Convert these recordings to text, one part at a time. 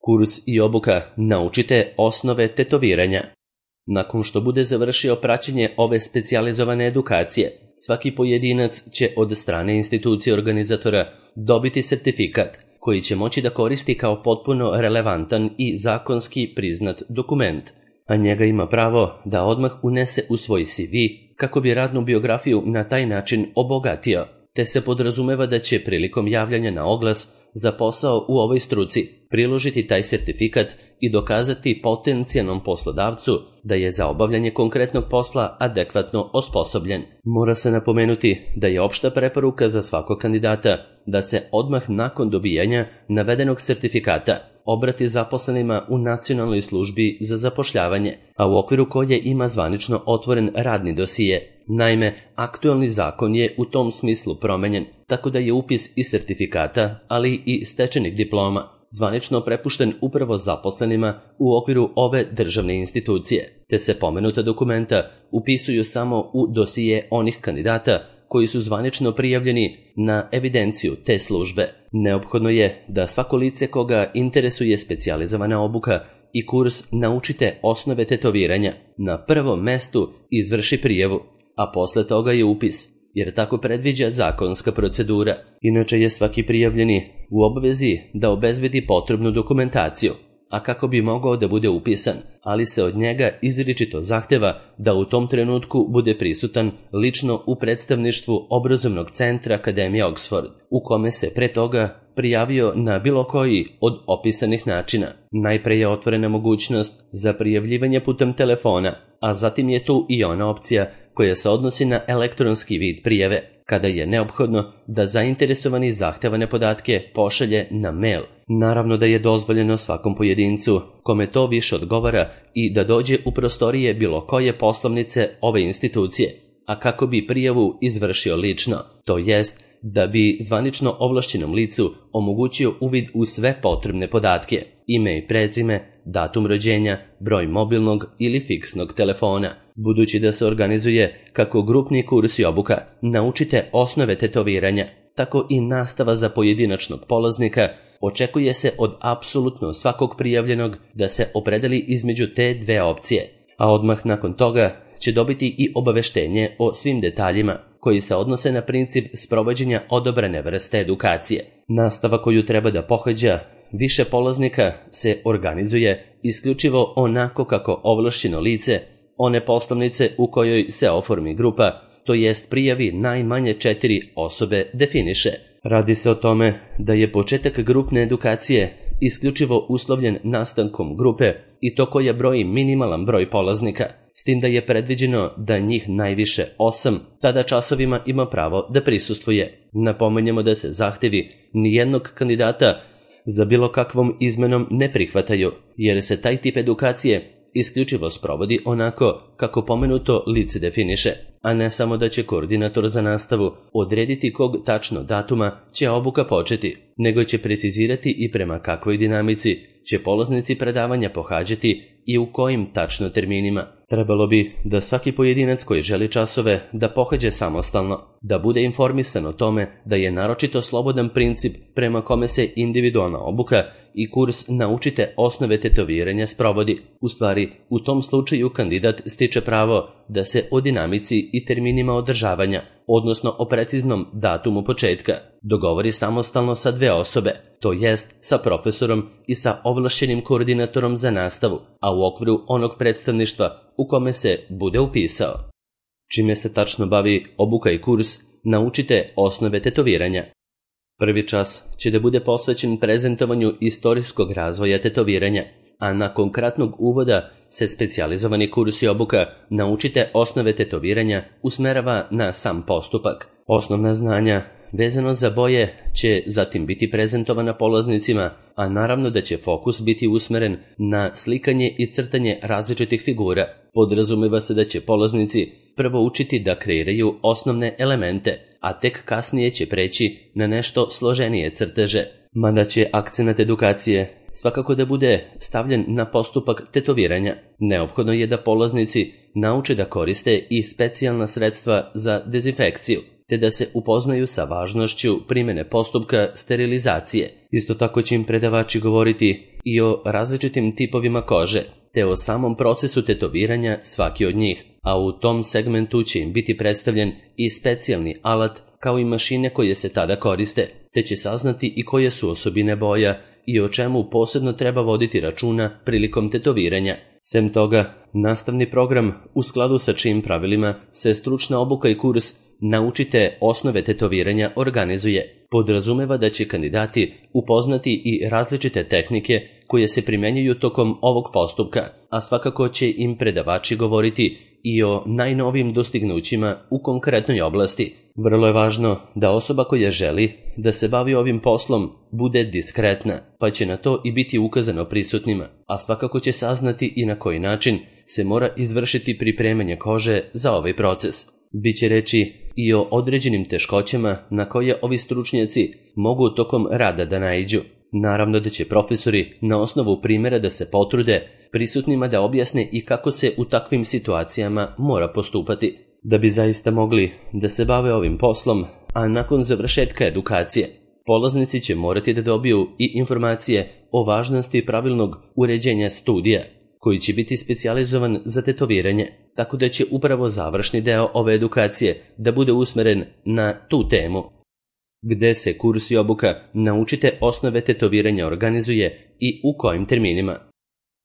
Kurs i obuka Naučite osnove tetoviranja. Nakon što bude završio praćenje ove specijalizovane edukacije, svaki pojedinac će od strane institucije organizatora dobiti sertifikat koji će moći da koristi kao potpuno relevantan i zakonski priznat dokument, a njega ima pravo da odmah unese u svoj CV kako bi radnu biografiju na taj način obogatio, te se podrazumeva da će prilikom javljanja na oglas za posao u ovoj struci priložiti taj sertifikat i dokazati potencijalnom poslodavcu da je za obavljanje konkretnog posla adekvatno osposobljen. Mora se napomenuti da je opšta preporuka za svakog kandidata da se odmah nakon dobijanja navedenog sertifikata obrati zaposlenima u Nacionalnoj službi za zapošljavanje, a u okviru koje ima zvanično otvoren radni dosije. Naime, aktuelni zakon je u tom smislu promenjen, tako da je upis i sertifikata, ali i stečenih diploma zvanično prepušten upravo zaposlenima u okviru ove državne institucije, te se pomenuta dokumenta upisuju samo u dosije onih kandidata koji su zvanično prijavljeni na evidenciju te službe. Neophodno je da svako lice koga interesuje specijalizovana obuka i kurs Naučite osnove tetoviranja na prvom mestu izvrši prijavu, a posle toga je upis, jer tako predviđa zakonska procedura. Inače je svaki prijavljeni u obavezi da obezbedi potrebnu dokumentaciju, a kako bi mogao da bude upisan, ali se od njega izričito zahteva da u tom trenutku bude prisutan lično u predstavništvu obrazovnog centra Akademije Oxford, u kome se pre toga prijavio na bilo koji od opisanih načina. Najpre je otvorena mogućnost za prijavljivanje putem telefona, a zatim je tu i ona opcija koja se odnosi na elektronski vid prijave, kada je neophodno da zainteresovani zahtevane podatke pošalje na mail. Naravno da je dozvoljeno svakom pojedincu kome to više odgovara i da dođe u prostorije bilo koje poslovnice ove institucije, a kako bi prijavu izvršio lično, to jest da bi zvanično ovlašćenom licu omogućio uvid u sve potrebne podatke, ime i prezime, datum rođenja, broj mobilnog ili fiksnog telefona. Budući da se organizuje kako grupni kurs i obuka Naučite osnove tetoviranja, tako i nastava za pojedinačnog polaznika, očekuje se od apsolutno svakog prijavljenog da se opredeli između te dve opcije, a odmah nakon toga će dobiti i obaveštenje o svim detaljima koji se odnose na princip sprovođenja odobrene vrste edukacije. Nastava koju treba da pohađa više polaznika se organizuje isključivo onako kako ovlašćeno lice one poslovnice u kojoj se oformi grupa, to jest prijavi najmanje 4 osobe, definiše. Radi se o tome da je početak grupne edukacije isključivo uslovljen nastankom grupe i to koja broji minimalan broj polaznika, s tim da je predviđeno da njih najviše 8 tada časovima ima pravo da prisustvuje. Napomenjemo da se zahtevi nijednog kandidata za bilo kakvom izmenom ne prihvataju, jer se taj tip edukacije isključivo sprovodi onako kako pomenuto lice definiše, a ne samo da će koordinator za nastavu odrediti kog tačno datuma će obuka početi, nego će precizirati i prema kakvoj dinamici će polaznici predavanja pohađati i u kojim tačno terminima. Trebalo bi da svaki pojedinac koji želi časove da pohađa samostalno, da bude informisan o tome da je naročito slobodan princip prema kome se individualna obuka i kurs Naučite osnove tetoviranja sprovodi. U stvari, u tom slučaju kandidat stiče pravo da se o dinamici i terminima održavanja, odnosno o preciznom datumu početka, dogovori samostalno sa 2 osobe, to jest sa profesorom i sa ovlašćenim koordinatorom za nastavu, a u okviru onog predstavništva u kome se bude upisao. Čime se tačno bavi obuka i kurs Naučite osnove tetoviranja? Prvi čas će da bude posvećen prezentovanju istorijskog razvoja tetoviranja, a nakon kratnog uvoda se specijalizovani kurs i obuka Naučite osnove tetoviranja usmerava na sam postupak. Osnovna znanja vezano za boje će zatim biti prezentovana polaznicima, a naravno da će fokus biti usmeren na slikanje i crtanje različitih figura. Podrazumeva se da će polaznici prvo učiti da kreiraju osnovne elemente, a tek kasnije će preći na nešto složenije crteže. Mada će akcenat edukacije svakako da bude stavljen na postupak tetoviranja, neophodno je da polaznici nauče da koriste i specijalna sredstva za dezinfekciju, te da se upoznaju sa važnošću primjene postupka sterilizacije. Isto tako će im predavači govoriti i o različitim tipovima kože, te o samom procesu tetoviranja svaki od njih, a u tom segmentu će im biti predstavljen i specijalni alat kao i mašine koje se tada koriste, te će saznati i koje su osobine boja i o čemu posebno treba voditi računa prilikom tetoviranja. Sem toga, nastavni program u skladu sa čijim pravilima se stručna obuka i kurs Naučite osnove tetoviranja organizuje, podrazumeva da će kandidati upoznati i različite tehnike koje se primenjuju tokom ovog postupka, a svakako će im predavači govoriti i o najnovijim dostignućima u konkretnoj oblasti. Vrlo je važno da osoba koja želi da se bavi ovim poslom bude diskretna, pa će na to i biti ukazano prisutnima, a svakako će saznati i na koji način se mora izvršiti pripremanje kože za ovaj proces. Biće reči i o određenim teškoćama na koje ovi stručnjaci mogu tokom rada da naiđu. Naravno da će profesori na osnovu primjera da se potrude prisutnima da objasne i kako se u takvim situacijama mora postupati. Da bi zaista mogli da se bave ovim poslom, a nakon završetka edukacije, polaznici će morati da dobiju i informacije o važnosti pravilnog uređenja studija, koji će biti specijalizovan za tetoviranje, tako da će upravo završni deo ove edukacije da bude usmeren na tu temu. Gde se kurs i obuka Naučite osnove tetoviranja organizuje i u kojim terminima.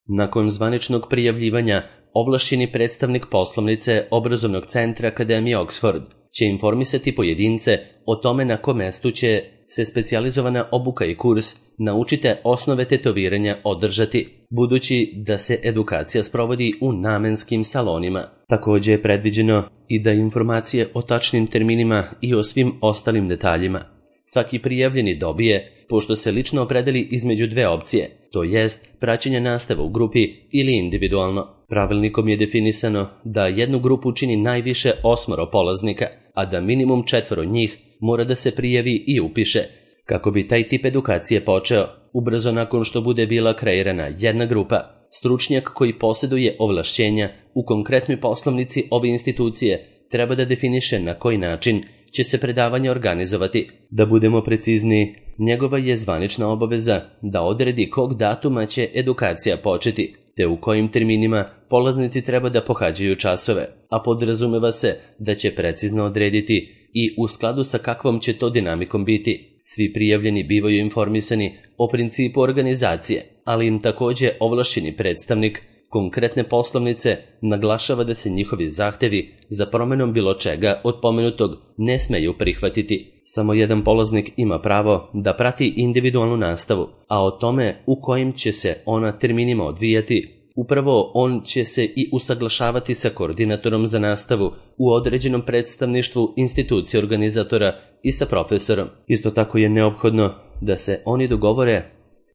Nakon zvaničnog prijavljivanja, ovlašćeni predstavnik poslovnice Obrazovnog centra Akademije Oxford će informisati pojedince o tome na kom mestu će se specijalizovana obuka i kurs Naučite osnove tetoviranja održati, budući da se edukacija sprovodi u namenskim salonima. Također je predviđeno i da informacije o tačnim terminima i o svim ostalim detaljima svaki prijavljeni dobije, pošto se lično opredeli između dve opcije, to jest praćenje nastave u grupi ili individualno. Pravilnikom je definisano da jednu grupu čini najviše 8 polaznika, a da minimum 4 njih mora da se prijavi i upiše. Kako bi taj tip edukacije počeo, ubrzo nakon što bude bila kreirana jedna grupa, stručnjak koji posjeduje ovlašćenja u konkretnoj poslovnici ove institucije treba da definiše na koji način će se predavanje organizovati. Da budemo precizniji, njegova je zvanična obaveza da odredi kog datuma će edukacija početi, te u kojim terminima polaznici treba da pohađaju časove, a podrazumeva se da će precizno odrediti i u skladu sa kakvom će to dinamikom biti. Svi prijavljeni bivaju informisani o principu organizacije, ali im također ovlašćeni predstavnik konkretne poslovnice naglašava da se njihovi zahtevi za promjenom bilo čega od pomenutog ne smeju prihvatiti. Samo jedan polaznik ima pravo da prati individualnu nastavu, a o tome u kojim će se ona terminima odvijati, upravo on će se i usaglašavati sa koordinatorom za nastavu u određenom predstavništvu institucije organizatora i sa profesorom. Isto tako je neophodno da se oni dogovore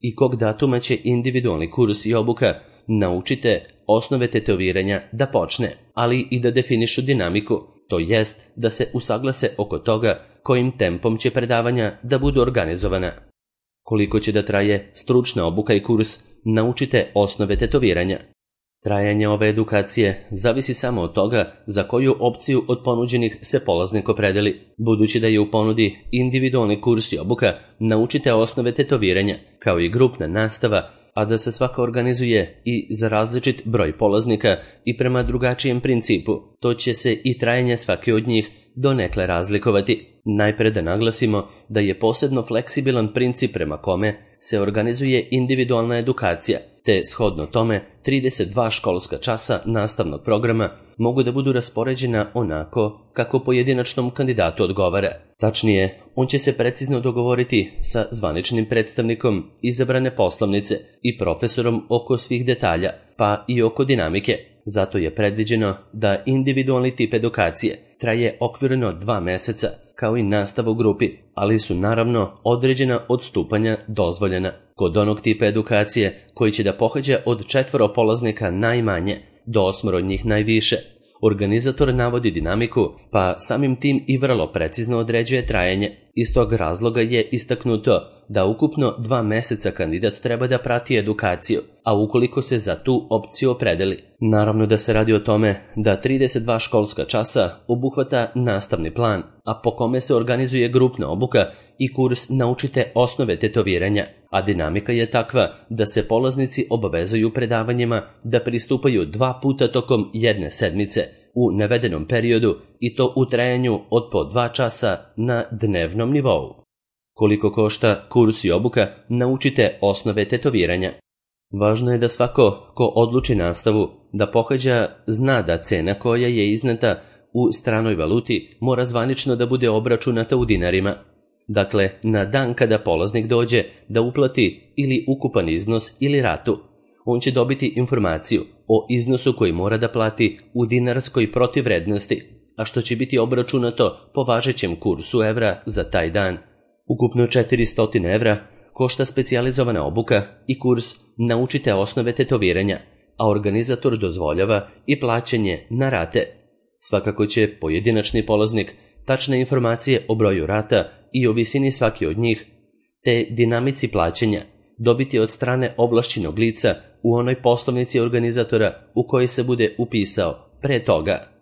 i kog datuma će individualni kurs i obuka Naučite osnove tetoviranja da počne, ali i da definišu dinamiku, to jest da se usaglase oko toga kojim tempom će predavanja da budu organizovana. Koliko će da traje stručna obuka i kurs Naučite osnove tetoviranja? Trajanje ove edukacije zavisi samo od toga za koju opciju od ponuđenih se polaznik opredeli, budući da je u ponudi individualni kurs i obuka Naučite osnove tetoviranja, kao i grupna nastava, a da se svaka organizuje i za različit broj polaznika i prema drugačijem principu, to će se i trajanje svake od njih donekle razlikovati. Najpre da naglasimo da je posebno fleksibilan princip prema kome se organizuje individualna edukacija, te shodno tome 32 školska časa nastavnog programa mogu da budu raspoređena onako kako pojedinačnom kandidatu odgovara. Tačnije, on će se precizno dogovoriti sa zvaničnim predstavnikom izabrane poslovnice i profesorom oko svih detalja, pa i oko dinamike. Zato je predviđeno da individualni tip edukacije traje okvirno 2 meseca, kao i nastava u grupi, ali su naravno određena odstupanja dozvoljena. Kod onog tipa edukacije koji će da pohađa od 4 polaznika najmanje do 8 od njih najviše, organizator navodi dinamiku, pa samim tim i vrlo precizno određuje trajanje. Iz tog razloga je istaknuto da ukupno 2 meseca kandidat treba da prati edukaciju, a ukoliko se za tu opciju opredeli. Naravno da se radi o tome da 32 školska časa obuhvata nastavni plan, a po kome se organizuje grupna obuka i kurs Naučite osnove tetoviranja, a dinamika je takva da se polaznici obavezuju predavanjima da pristupaju 2 puta tokom jedne sedmice u navedenom periodu i to u trajanju od po 2 časa na dnevnom nivou. Koliko košta kurs i obuka Naučite osnove tetoviranja? Važno je da svako ko odluči nastavu da pohađa zna da cena koja je izneta u stranoj valuti mora zvanično da bude obračunata u dinarima. Dakle, na dan kada polaznik dođe da uplati ili ukupan iznos ili ratu, on će dobiti informaciju o iznosu koji mora da plati u dinarskoj protivvrednosti, a što će biti obračunato po važećem kursu evra za taj dan. Ukupno 400 evra košta specijalizovana obuka i kurs Naučite osnove tetoviranja, a organizator dozvoljava i plaćanje na rate. Svakako će pojedinačni polaznik tačne informacije o broju rata i o visini svaki od njih, te dinamici plaćanja, dobiti od strane ovlašćenog lica u onoj poslovnici organizatora u kojoj se bude upisao pre toga.